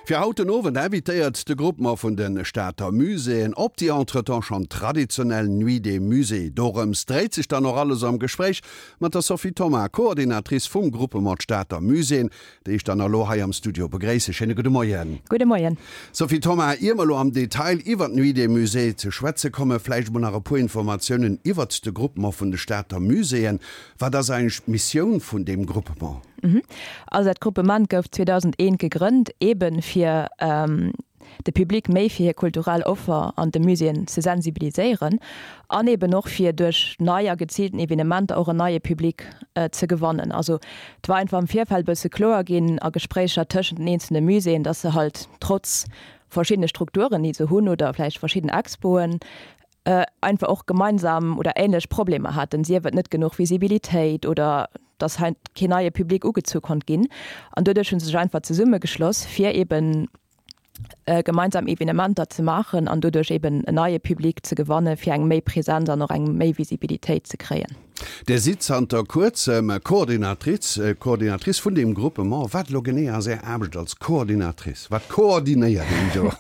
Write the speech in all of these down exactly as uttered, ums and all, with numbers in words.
Fir haut den Owend invitéiert de Groupement vun de Stater Muséeën op déi entretemps schonn traditionell Nuit des Musées. Dorëms dréit sech dann och alles am Gespréich mat der Sophie Thoma, Coordinatrice vum Groupement Stater Muséeën, déi ech dann elo hei am Studio begréissen. Schéine gudde Moien. Gudde Moien. Sophie Thoma, ier mer elo am Detail iwwert d'Nuit des Musées ze schwätze kommen, vläicht emol nach e puer Informatiounen iwwert de Groupement vun de Stater Muséeën. Wat ass eigentlech d'Missioun vun deem Groupement? Also dat Groupement gouf zweedausendeent gegrënnt, eebe fir de Public méi fir hir kulturell Offer an de Muséeën ze sensibiliséieren an eeben och fir duerch nei a geziilten Evenementer och en neie Public ze gewannen. Also et war einfach am Virfeld e bësse kloer ginn a Gespréicher tëschent den eenzelne Muséeën, dass se halt trotz verschiddene Strukturen, déi se hunn oder vläicht verschidden Expoen, einfach och gemeinsam oder änlech Problemer haten, sief et net genuch Visibilitéit oder dass hei keen neie Public ugezu konnt ginn. An doduerch hu se sech einfach zesummegeschloss, fir eben gemeinsam Evenementer ze maachen an doduerch eben en neie Public ze gewanne fir eng méi Präsenz an och eng méi Visibilitéit ze kréien. Dir sidd zanter kuerzem Coordinatrice, Coordinatrice vun deem Groupement. Wat elo genee ass Är Aarbecht als Coordinatrice? Wat koordinéiert een do?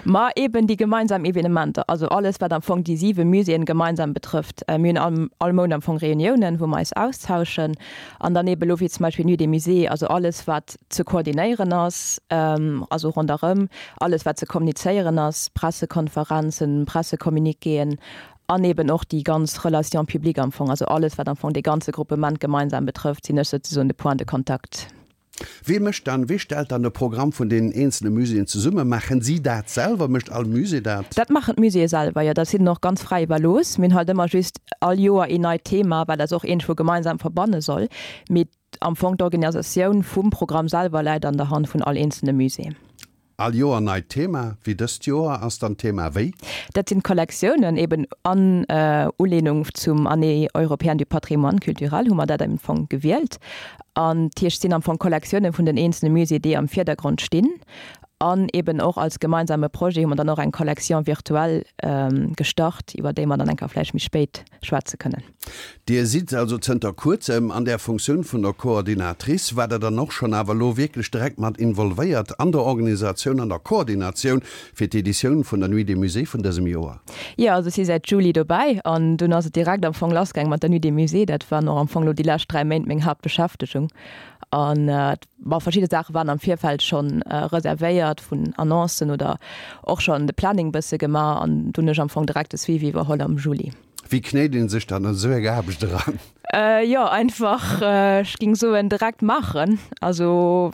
Ma eben déi gemeinsam Evenementer, also alles wat am Fong déi siwe Muséeën gemeinsam betrëfft. Mir hunn all all Mount am Fong Reuniounen, wou mer eis austauschen an dann eben elo wéi zum Beispill Nuit des Musées, also alles wat ze koordinéieren ass, also ronderëm alles wat ze kommunizéieren ass, Pressekonferenzen, Pressecommuniquéen an eben och déi ganz Relation publique am Fong, also alles wat am Fong dee ganze Gruppement gemeinsam betrëfft, sinn ech souzesoen de Point de contact. Wee mécht dann, wee stellt dann de Programm vun deenen eenzele Muséeën zesummen? Maachen si dat selwer? Mécht all Musée dat? Dat maachen d'Muséeë selwer, jo. Dat ass hinnen och ganz fräi iwwerlooss. Mir hunn halt ëmmer just all Joer een neit Thema, wat eis och iergendwou gemeinsam verbanne soll. Mee am Fong d'Organisatioun vum Programm selwer läit an der Hand vun all eenzelne Musée. All Joer neit Thema, wéi dëst Joer ass dann d'Thema wéi? Dat sinn d'Kollektiounen, eben an Ulehnung zum Année européenne du patrimoine culturel hu mer dat am Fong gewielt. An dat heescht, et sinn am Fong Kollektiounen vun den eenzelne Muséeë, déi am Virdergrond stinn. An eben och als gemeinsame Projet hu mer dann och eng Collection virtuelle gestart, iwwer déi mer dann eng Kéier vläicht méi spéit schwätze kënnen. Dir sidd also zënter kuerzem an där Funktioun vun der Coordinatrice. Waart Der dann och schonn awer elo wierklech direkt mat involvéiert an der Organisatioun, an der Koordinatioun fir d'Editioun vun der Nuit des Musées vun dësem Joer? Jo, also ech si säit Juli dobäi an dunn ass et direkt am Fong lassgaang mat der Nuit des Musées. Dat waren och am Fong elo déi lescht dräi Méint meng Haaptbeschäftegung. An bon, verschidde Saache waren am Virfeld schonn reservéiert vun Annoncen oder och schonn de Planning bësse gemaach an dunn hunn ech am Fong direkt de Suivi iwwerholl am Juli. Wéi knéit een sech dann an esou eng Aarbecht eran? Jo, einfach, ech géing soen, direkt maachen. Also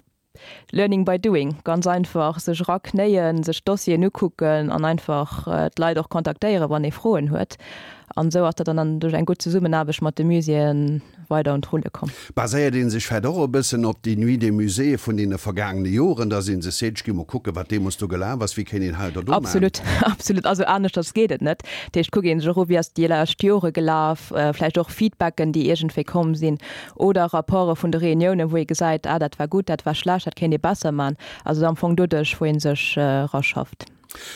learning by doing, ganz einfach sech eraknéien, sech d'Dossieren ukucken an einfach d'Leit och kontaktéieren, wann ee Froen huet. An esou ass dat dann duerch eng gutt Zesummenaarbecht mat de Muséeë weider un d'Rulle komm. Baséiert ee sech vläicht och e bëssen op déi Nuit des Musées vun deene vergaangene Joren, dass ee sech seet, ech gi mol kucken, wat deemools do gelaf ass, wéi kéint een hei oder do maachen? Absolut, absolut. Also aneschters geet et net. Dat heescht, kuckt ee sech och u, wéi ass déi lescht Jore gelaf, vläicht och Feedbacken, déi iergendwéi komm sinn oder Rapporte vun de Reuniounen, wou ee gesäit, ah dat war gutt, dat war schlecht, dat kéint ee besser maachen. Also am Fong doduerch, wou ee sech eraschafft.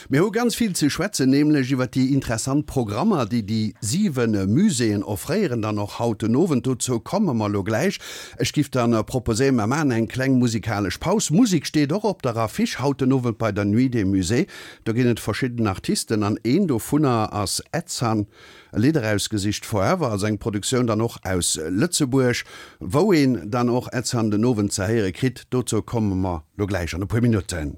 Mir hu ganz vill ze schwätzen, nämlech iwwer déi interessant Programmer, déi déi siwe Muséeën offréieren, dann och haut den Owend. Dozou komme mer elo gläich. Ech giff dann proposéieren, mer maachen eng kleng musikalesch Paus. Musek steet och op der Affiche haut den Owend bei der Nuit des Musées. Do ginn et verschidden Artisten an een dovunner ass Edsan. E Lidd erausgesicht, Forever, also eng Produktioun dann och aus Lëtzebuerg, wou een dann och Edsan den Owend ze héiere kritt. Dozou komme mer lo gläich an e puer Minutten.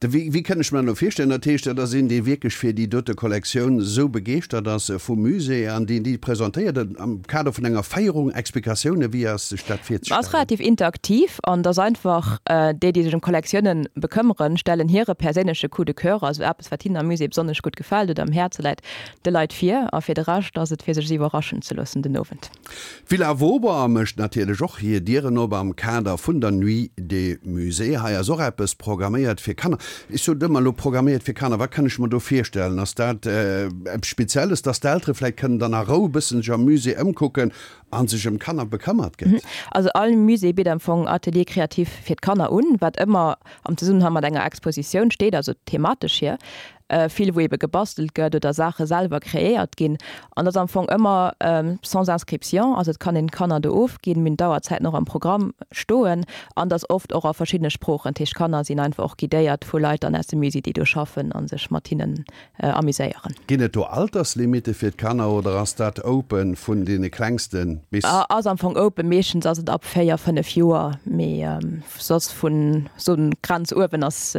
De, wéi, wéi kann ech mir dat elo virstellen? Dat heescht, dat ass een, dee wierklech fir déi dote Kollektioun esou begeeschtert ass vum Musée an deen déi presentéiert am Kader vun enger Féierung, Explikatiounen, wéi ass sech dat Ass virzestellen? relativ interaktiv an et ass einfach, déi, déi sech ëm Kollektiounen bekëmmeren, stellen hire perséinleche Coup de cœur, also eppes, wat hinnen am Musée besonnesch gutt gefält oder am Häerze läit, de Leit vir. A fir de Rescht ass et fir sech iwwerraschen ze loossen den Owend. D'Villa Vauban mécht natierlech och hir Dieren op am Kader vun der Nuit des Musées. Hei ass och eppes programméiert fir Kanner. Ech sot ëmmer elo programméiert fir Kanner, wat kann ech mer do virstellen? Ass dat eppes Spezielles, dass d'Eltere vläicht kënnen dann a Rou e bëssen sech am Musée ëmkucken a sech ëm d'Kanner bekëmmert gëtt? Also all Musée bitt am Fong Atelier créatif fir d'Kanner un, wat ëmmer am Zesummenhang mat enger Expositioun steet, also thematesch hier. Vill wou ebe gebastelt gëtt oder Saache selwer kreéiert ginn. An dat ass am Fong ëmmer sans inscription, also et kann een d'Kanner do ofginn, mir hunn d'Auerzäiten och am Programm stoen an dat ass oft och a verschiddene Sproochen. Dat heescht d'Kanner sinn einfach och guidéiert vu Leit dann aus dem Musée, déi do schaffen a sech mat hinnen amuséieren. Ginn et do Alterslimite fir d'Kanner oder ass dat open vun deene Klengste bis? Ass am Fong open, meeschtens ass et ab véier, fënnef Joer, mee soss vun sou Grenz uewen ass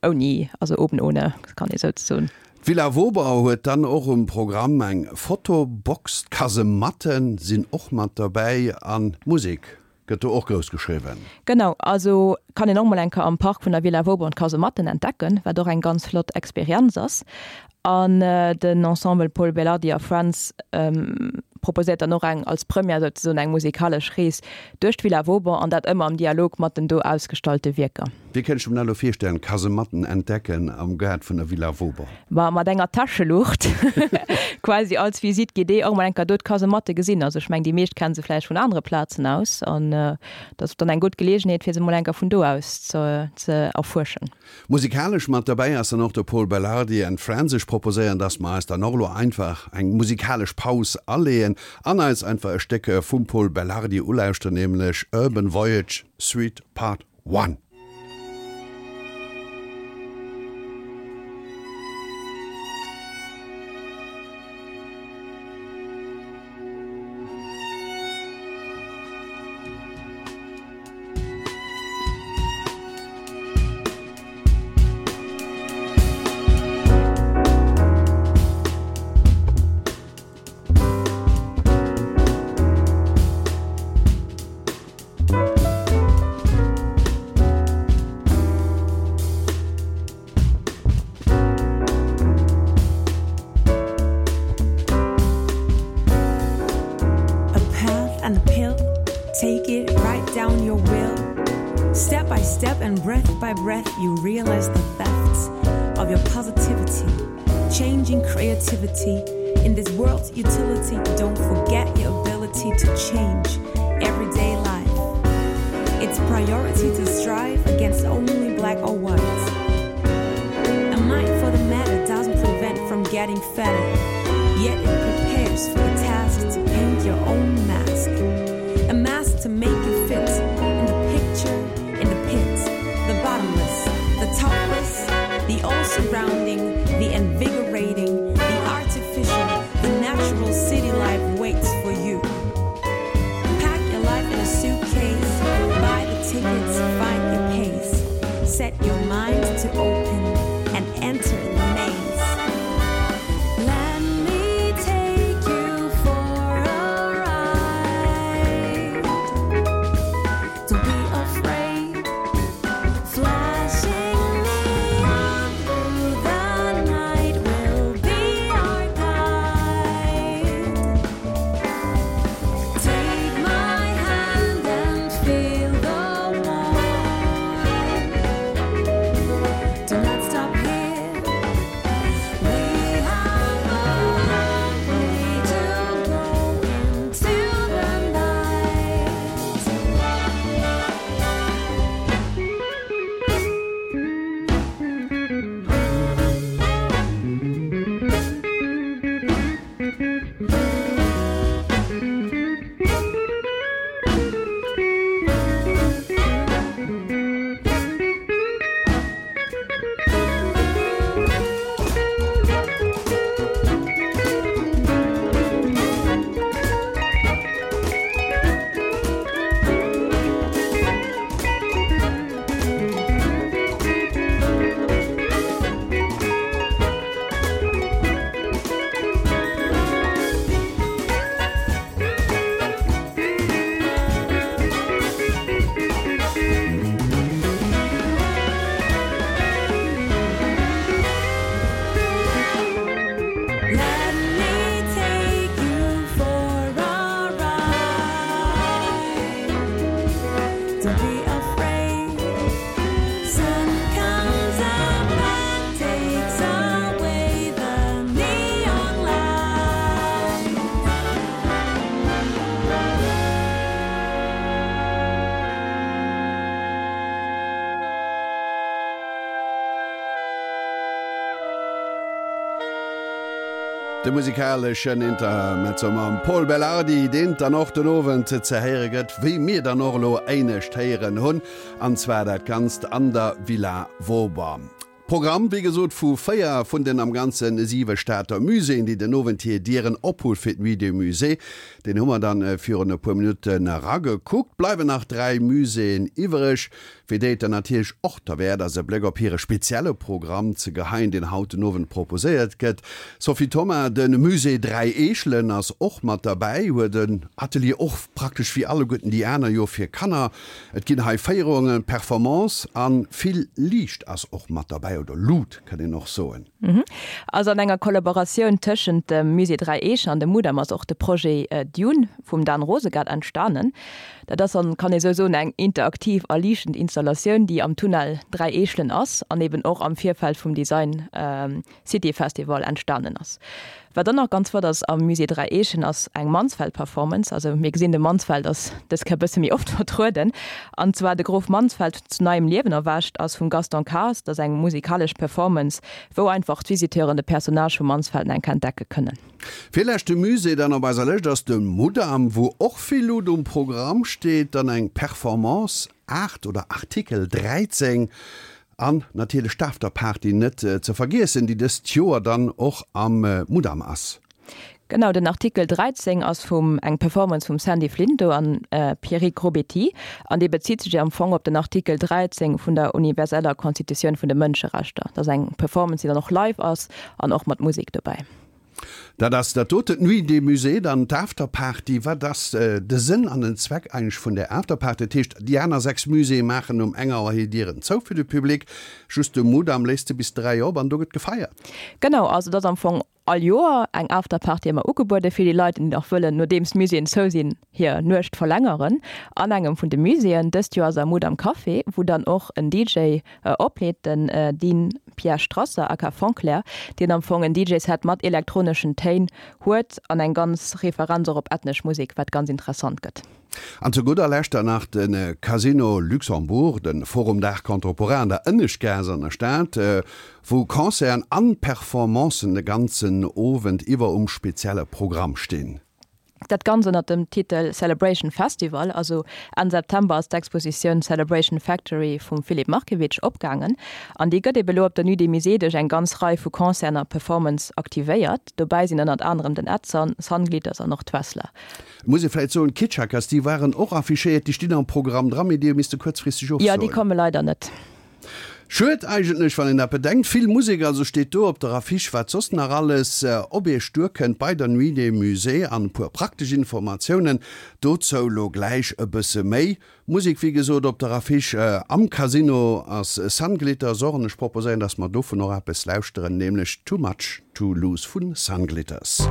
ouni, also oben ohne kann ee souzesoen. D'Villa Vauban huet dann och um Programm eng Fotobox, d'Kasematte sinn och mat derbäi an Musek gëtt do och grouss geschriwwen. Genau, also kann een och mol eng Kéier am Park vun der Villa Vauban d'Kasematten entdecken, wat och eng ganz flott Experienz ass. An den Ensemble Pol Belardi a Friends proposéiert dann och eng als Première souzesoen eng musikalesch Rees duerch d'Villa Vauban an dat ëmmer am Dialog mat den do ausgestallte Wierker. Wéi kënnt ech mer dat elo virstellen, Kasematten entdecken am Gaart vun der Villa Vauban? Ma mat enger Täscheluucht quasi als Visite guidée och mol eng Kéier do d'Kasematte gesinn. Also ech mengen déi meescht kenne se vläicht vun anere Plazen aus an dat ass dann eng gutt Geleegenheet fir se mol eng Kéier vun do aus ze ze erfuerschen. Musikalesch mat derbäi ass dann och de Pol Belardi and Friends. Ech proposéieren, dass mer eis dann och elo einfach eng musikalesch Paus aleeën an eis einfach e Stéck vum Pol Belardi ulauschteren, nämlech Urban Voyage Suite Part One. A path and a pill, take it, write down your will. Step by step and breath by breath, you realize the theft of your positivity, changing creativity. In this world's utility, don't forget your ability to change everyday life. It's priority to strive against only black or white. A mind for the matter doesn't prevent from getting fatter, yet it prepares for the task to paint your own mask. A mask to make you fit in the picture, in the pit, the bottomless, the topless, the all surrounding, the invigorating, the artificial, the natural city life waits for you. Pack your life in a suitcase, buy the tickets, find your pace, set your mind to open and enter the maze. Let me take De musikaleschen Intermezzo mam Pol Belardi, deen dann och den Owend ze héiere gëtt, wéi mir dann och elo éinescht héieren hunn, an zwar dat Ganzt an der Villa Vauban. Programm, wéi gesot, vu véier vun den am Ganze siwe Stater Muséeën, déi den Owend hir Dieren ophu fir d'Nuit des Musées, deen hu mer dann virun e puer Minutten eragekuckt. Bleiwen nach dräi Muséeën iwwereg, fir déi et dann natierlech och derwäert ass, e Bléck op hire spezielle Programm ze geheien, deen haut den Owend proposéiert gëtt. Sophie Thoma, De Musée Dräi Eechelen ass och mat derbäi, huet en Atelier och praktesch wéi alleguerten déi aner jo fir Kanner. Et ginn hei Féierungen, Performance a vill Liicht ass och mat derbäi, oder Lut kënnt een och soen. Also an enger Kollaboratioun tëschent dem Musée Dräi Eechen an dem Mudam ass och de Projet Dune vum Dan Rosegart entstanen. Dat ass dann, kann ee sou soen, eng interaktiv a liichtend Installatioun, déi am Tunnel Dräi Eechelen ass an eben och am Virfeld vum Design City Festival entstanen ass. Wat dann nach ganz flott ass am Musée Dräi Eechen ass eng Mansfeld-Performance. Also mir gesinn, de Mansfeld ass dës Kéier e bësse méi oft vertrueden. An zwar de Grof Mansfeld zu neiem Liewen erwächt ass vum Gaston Kaas. Dat ass eng musikalesch Performance, wou einfach d'Visiteuren de Personnage vum Mansfeld enk entdecke kënnen. Virleschte Musée dann op eiser Lëscht ass de Mudam, wou och vill Luut um Programm steet, dann eng Performance Art oder Artikel dräizéng an natierlech d'Afterparty net ze vergiessen, déi dëst Joer dann och am Mudam ass. Genau, den Artikel dräizéng ass vum eng Performance vum Sandy Flinto an Pierrick Robetti an dee bezitt sech am Fong op den Artikel dräizéng vun der universeller Constitutioun vun de Mënscherechter. Dat ass eng Performance, déi dann och live ass an och mat Musek dobäi. Dat ass dat doten, d'Nuit des Musées, dann d'Afterparty. Wat ass de Sënn an den Zweck eigentlech vun där Afterparty? Dat heescht, déi aner sechs Muséeë maachen um eng Auer hir Dieren zou fir de Public, just de Mudam léisst se bis dräi op an do gëtt gefeiert. Genau, also et ass am Fong all Joer eng Afterparty ëmmer ugebuede fir déi Leit, déi nach wëllen, nodeems d'Muséeën zou sinn, hir Nuecht verlängeren an engem vun de Muséeën. Dëst Joer ass am Mudam Café, wou dann och en D J opleet, den Dean Pierre Strasser aka Fonclair, deen am Fong en D J-Set mat elektroneschen Téin huet an eng ganz Referenz och op ethnesch Musek, wat ganz interessant gëtt. An zu gudder Lescht dann nach de Casino Luxembourg, de Forum d'Art Contemporain an der Ënneschtgaass an der Stad, wou Concerten an Performancen de ganzen Owend iwwer um spezielle Programm stinn. Dat Ganzt ënnert dem Titel Celebration Festival. Also Enn September ass d'Expositioun Celebration Factory vum Filip Markiewicz opgaangen an déi gëtt ebe lo op der Nuit des Musées duerch eng ganz Rei vu Concerten a Performance aktivéiert. Dobäi sinn ënnert anerem den Edson, Sunglitters an och d'Wessler. Et muss ee vläicht soen, d'Kitschakas, déi waren och affichéiert, déi stinn am Programm dran, mee déi hu misste kuerzfristeg Jo, déi ofsoen. komme leider net. Schued eigentlech, wann een dat bedenkt. Vill Musek also steet do op der Affiche. Wat soss nach alles op Iech duerkënnt bei der Nuit des Musées an e puer praktesch Informatiounen dozou lo gläich e bësse méi. Musek wéi gesot op der Affiche am Casino ass Sunglitters och an ech proposéieren, dass mer dovun och eppes lauschteren, nämlech Too Much To Lose vu Sunglitters.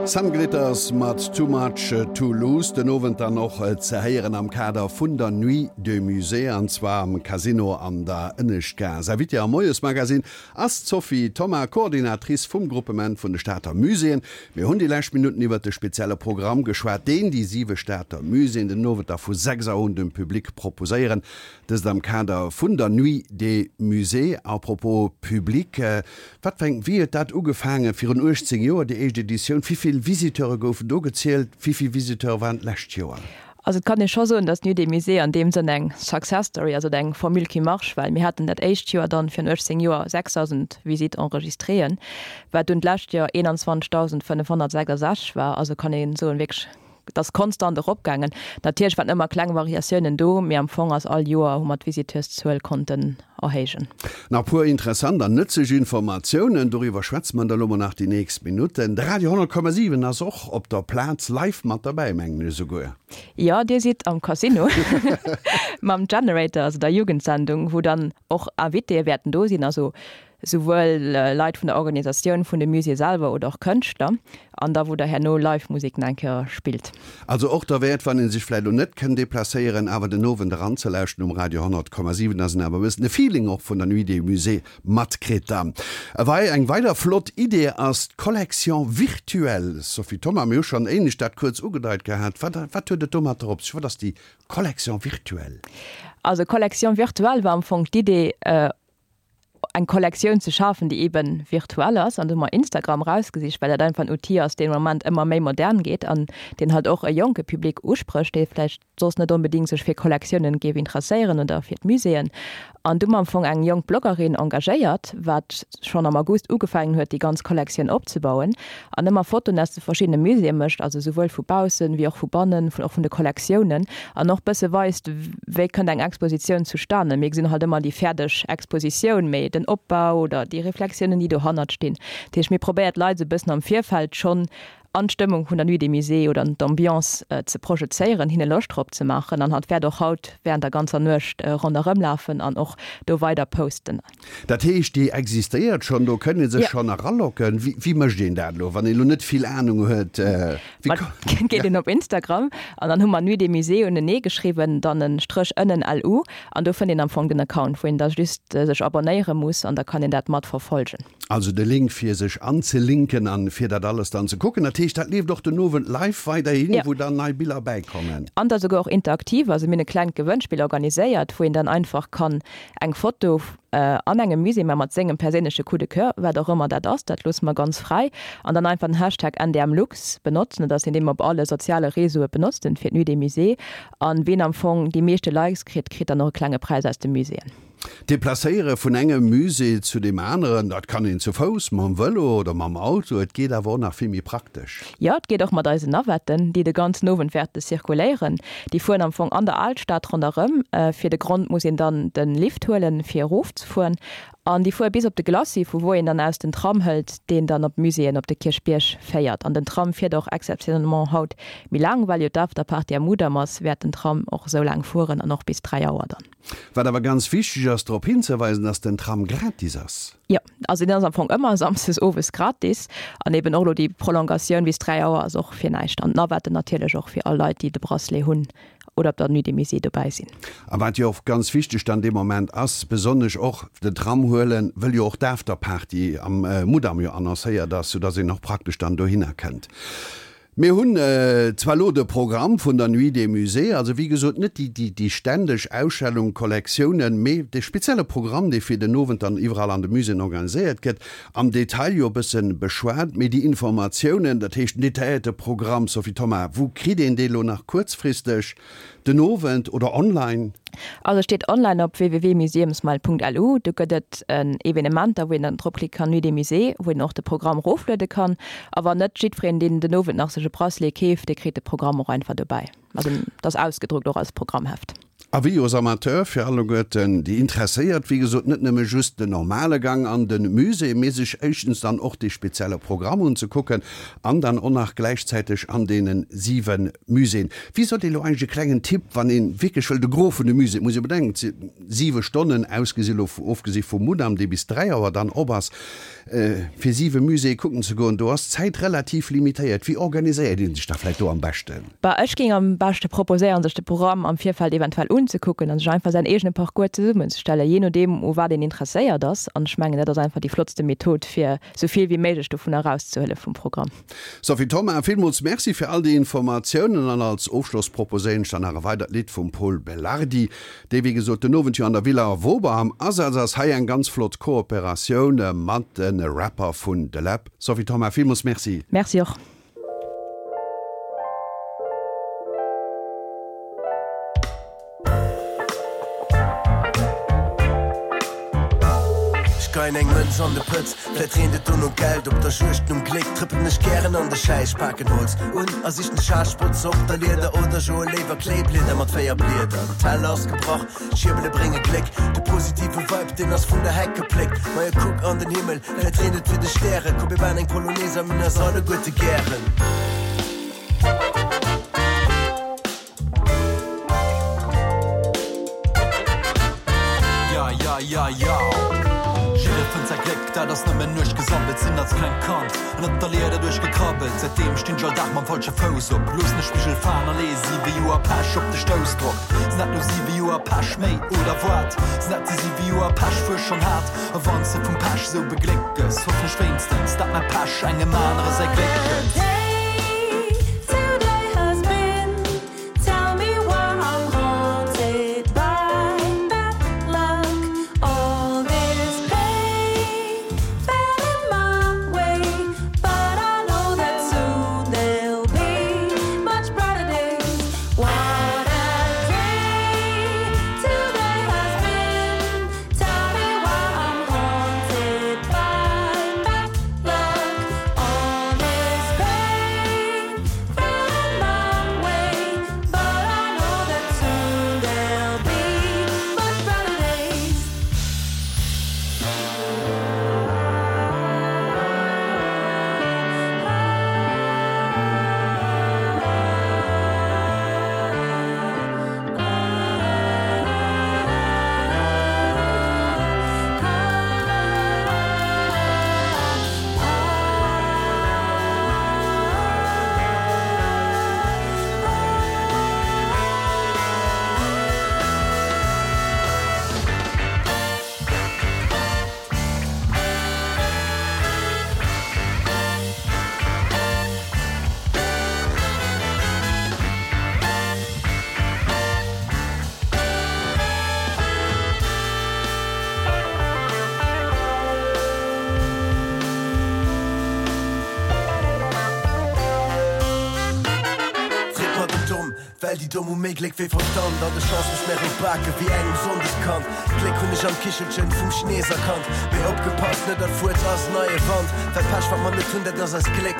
Sun Glitters mat Too Much To Lose, den Owend dann och ze héieren am Kader vun der Nuit des Musées, an zwar am Casino an der Ënneschtgaass. Invitée am Moiesmagazin ass d'Sophie Thoma, Coordinatrice vum Gruppement vun de Stater Muséeën. Mir hunn déi lescht Minutten iwwert de spezielle Programm geschwat, deen déi siwe Stater Muséeën den Owend da vu sechs Auer un dem Public proposéieren. Dëst am Kader vun der Nuit des Musées. À propos Public, wat fir eng, wéi huet dat ugefaangen virun uechtzéng Joer, déi éischt Editioun? Wéi vill Visiteure goufen do gezielt? Wéi vill Visiteure waren d'lescht Joer? Also et kann ee scho soen, datt d'Nuit des Musées an deem Sënn eng Success Story ass oder eng Formule qui marche, well mir haten dat éischt Joer dann virun uechtzéng Joer sechstausend Visites enregistréeën, wat dunn d'lescht Joer eenanzwanzegdausendfënnefhonnertsechsasechzeg war. Also kann ee soen, wierklech Et ass konstant eropgaangen. Natierlech waren ëmmer kleng Variatiounen do, mee am Fong ass all Joer hu mer d'Visiteurszuel konnten erhéijen. Nach puer interessant an nëtzlech Informatiounen, doriwwer schwätze mer da lo mol nach déi nächst Minutten. De Radio honnert Komma siwen ass och op der Plaz live mat derbäi, mengen ech esouguer. Jo, dir sidd am Casino mam Generator, also der Jugendsendung, wou dann och Invitéë wäerten do sinn, also souwuel Leit vun der Organisatioun vun de Musée selwer oder och Kënschtler, an da wou der herno live Musek nach eng Kéier spillt. Also och derwäert, wann ee sech vläicht elo net kënn deplacéieren, awer den Owend eranzelauschten um Radio honnert Komma siwen, dass een awer e bëssen de Feeling och vun der Nuit des Musées matkritt. Dann ewei eng weider flott Idee ass d'Collection virtuelle. Sophie Thoma, mir hu schonn éinescht dat kuerz ugedeit gehat. Wat, wat huet et domatter op sech? Wat ass déi Collection virtuelle? Also Collection virtuelle war am Fong d'Idee, eng Kollektioun ze schafen, déi eben virtuell ass. An do hu mer Instagram erausgesicht, well dat einfach en Outil ass, deen am Moment ëmmer méi modern geet an deen halt och e jonke Public usprécht, dee vläicht soss net onbedéngt sech fir Kollektiounen géif interesséieren oder fir d'Muséeën. An du hu mer am Fong eng jonk Bloggerin engagéiert, wat schonn am August ugefaangen huet, déi ganz Kollektioun opzebauen an ëmmer Fotoen aus de verschiddene Muséeë mécht, also souwuel vu baussen wéi och vu bannen, vun och vun de Kollektiounen an och bësse weist, wéi kënnt eng Expositioun zustanen. Mir gesinn halt ëmmer déi fäerdeg Expositioun, mee den Opbau oder déi Reflexiounen, déi dohannert stinn. Dat heescht, mir probéiert d'Leit esou e bëssen am Virfeld schonn an d'Stëmmung vun der Nuit des Musées oder an d'Ambiance ze projezéieren, hinne Loscht drop ze maachen. An hatt wäert och haut während der ganzer Nuecht ronderëm lafen an och do weider posten. Dat heescht, déi existéiert schonn, do kënnt ee sech schonn eralocken. Wéi, wéi mécht een dat elo, wann een elo net vill Anung huet? Wéi Ma geet een op Instagram an dann hu mer Nuit des Musées unenee geschriwwen, dann e Stréch ënnen L U an do fënnt een am Fong den Account, wou een da just sech abonnéiere muss an da kann een dat mat verfolgen. Also de Link fir sech anzelinken an fir dat alles dann ze kucken. Dat heescht, dat leeft och den Owend live weiderhin, wou dann nei Biller bäikommen? An da souguer och interaktiv. Also mir hunn e klengt Gewënnspill organiséiert, wou een dann einfach kann eng Foto an engem Musée, mä mat sengem perséinleche Coup de coeur, wat och ëmmer dat ass, dat loosse mer ganz fräi, an dann einfach den Hashtag N D M Lux benotzen. Dat ass deen, dee mer op alle soziale Réseaue benotzen fir d'Nuit des Musées. An ween am Fong déi meeschte Likes kritt, kritt dann och e klenge Präis aus de Muséeën. Deplacéiere vun engem Musée zu deem aneren, dat kann een zu Fouss, mam Vëlo oder mam Auto. Et geet awer och nach vill méi praktesch. Jo, et geet och mat eisen Navetten, déi de ganzen Owend wäerte zirkuléieren. Déi fueren am Fong an der Alstad ronderëm. Fir de Grond muss een dann de Lift huelen, fir erofzefueren. An déi fuere bis op de Glacis, vu wou een dann aus den Tram hëlt, deen dann op d'Muséeën op de Kierchbierg féiert. An den Tram fiert och exceptionnellement haut méi laang, well jo d'Afterparty am Mudam ass, wäert den Tram och esou laang fueren an och bis dräi Auer dann. Wat awer ganz wichteg ass drop hinzeweisen, dass den Tram gratis ass. Jo, also deen ass am Fong ëmmer samsdes owes gratis an eben och elo déi Prolongatioun bis dräi Auer ass och fir näischt. An d'Navetten natierlech och fir all Leit, déi de Bracelet hunn oder op der Nuit des Musées dobäi sinn. A wat jo och ganz wichteg dann dee Moment ass, besonnesch och den Tram huelen, wëll jo och d'Afterparty am Mudam jo annoncéiert ass, soudass een och praktesch dann dohinner kënnt. Mir hunn zwar elo de Programm vun der Nuit des Musées, also wéi gesot net déi déi ständeg Ausstellung, Kollektiounen, mee de spezielle Programm, dee fir den Owend dann iwwerall an de Muséeën organiséiert gëtt, am Detail jo e bësse beschwat. Mee déi Informatiounen, dat heescht den detailléierte Programm, Sophie Thoma, wou kritt een dee elo nach kuerzfristeg? Den Owend oder online? Also steet online op w w w punkt museumsmile punkt l u. Do gëtt et en Evenementer, wou een dann dropklicke kann, Nuit des Musées, wou een och de Programm erofluede kann. A wann net, jiddwereen, deen den Owend nach sech e Bracelet keeft, dee kritt de Programm och einfach dobäi. Also dat ass ausgedruckt och als Programmheft. Avis aux amateurs fir alleguerten déi interesséiert, wéi gesot net nëmme just den normale Gang an de Musée, mee sech éischtens dann och dee spezielle Programm unzekucken an dann och nach gläichzäiteg an deene siwe Muséeën. Wéi sot Dir elo eigentlech e klengen Tipp, wann ee wierklech wëll de Gros vun de Muséeën, et muss ee bedenken, et si siwe Stonnen, ausgesi elo, ofgesi vum Mudam, dee bis dräi Auer dann op ass, fir siwe Muséeë kucken ze goen, do ass d'Zäit relativ limitéiert. Wéi organiséiert ee sech da vläicht do am beschten? Bah, ech géing am beschte proposéieren, sech de Programm am Virfeld eventuell unzekucken an sech einfach säin eegene Parcours zesummenzestellen, jee nodeem u wat een interesséiert ass. An ech mengen, dat ass einfach déi flottste Method, fir esou vill wéi méiglech dovun erauszehuele vum Programm. Sophie Thoma, villmools Merci fir all déi Informatiounen. An als Ofschloss proposéieren ech dann nach e weidert Lidd vum Pol Belardi, dee wéi gesot den Owend jo an der Villa Wober am Asaz ass. Hei eng ganz flott Kooperatioun mat de Rapper vun De Läb. Sophie Thoma, villmools Merci. Merci och. Ech geien eng Mënz an de Pëtz, vläit reent et dono Geld. Op der Juegd nom Gléck trëppelen ech gären an de Schäiss, paken Holz un a sichen Schaarspotz op der Lieder oder joe léiwer Kléiblieder mat véier Blieder. Den Teller ass gebrach, d'Schierbele brénge Gléck, de positive Vibe, deen ass vun der Heck gepléckt. Majo kuck an den Himmel, vläit reent et fir de Stären. Komm mir maan eng Polonaise a mir hunn eis alleguerte gären. Ja, ja, ja, ja. Jidder fënnt säi Gléck, dat ass nëmmen Nuecht gesammelt. Sinn als klengt Kand ënnert der Lieder duerchgekrabbelt. Säitdeem stinn ech all Dag mam falsche Fouss op. Loossen de Spigel falen a leeë siwe Joer Pech op de Stoussdrock. Sinn dat lo siwe Joer Pech méi oder wat? Sinn dat déi siwe Joer Pech, wou ech schonn hat? A wann s de vum Pech sou begléckt gëss, hoffen ech wéinstens, dat mäi Pech engem anere säi Gléck gëtt. Freet mer den Domm, well déi Domm hu méi Gléck wéi Verstand an de Chance mech méi op Bake wéi engem Sonndeskand. D'Gléck hunn ech am Kichelchen vum Chines erkannt. Mee opgepasst, net all Fuerz ass neie Wand, well Pech wat mer net hunn, dat ass eist Gléck.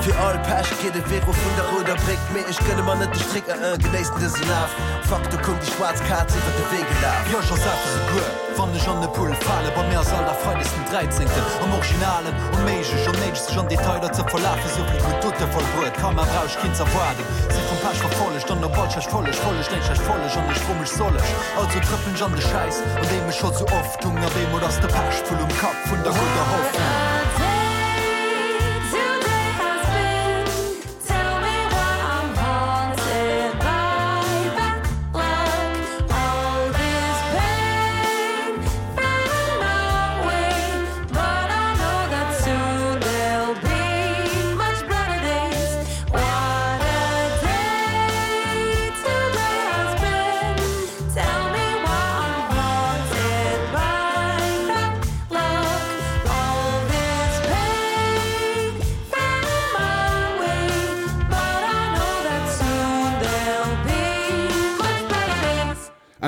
Fir all Pech geet e Vero vun der rouder Bréck, mee ech gënne mer net de Stréck, eh eh, genéissen dëse Laf. Fuck, do koum déi schwaarz Kaz iwwer de Wee gelaf. Jo, ech ersafe souguer, wann ech an e Pull fale. Bei mir ass all Dag Freides den Dräizéngten. Am Originalen onméiglech, onnéideg sech an Detailer ze verlafen. Souvill gutt Dote vollbruet, Karma brauch ech keen z'erwaarden. Si vum Pech verfollegt an op all schlecht Folleg follegt eng schlecht Folleg an ech fro mech, soll ech? Also trëppelen ech an de Schäiss, an deem ech scho sou oft hung. A bemol ass de Pechvull um Kapp vun der gudder Hoffnung.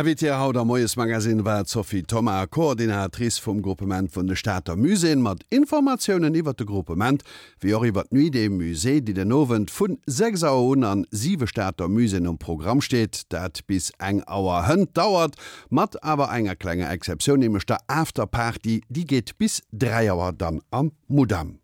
Invitée haut am Moiesmagazin war d'Sophie Thoma, Coordinatrice vum Groupement vun de Stater Muséeën, mat Informatiounen iwwert de Groupement, wéi och iwwert d'Nuit des Musées, déi den Owend vun sechs Auer un an siwe Stater Muséeën um Programm steet, dat bis eng Auer hënt dauert, mat awer enger klenger Exceptioun, nämlech der Afterparty, déi geet bis dräi Auer dann am Mudam.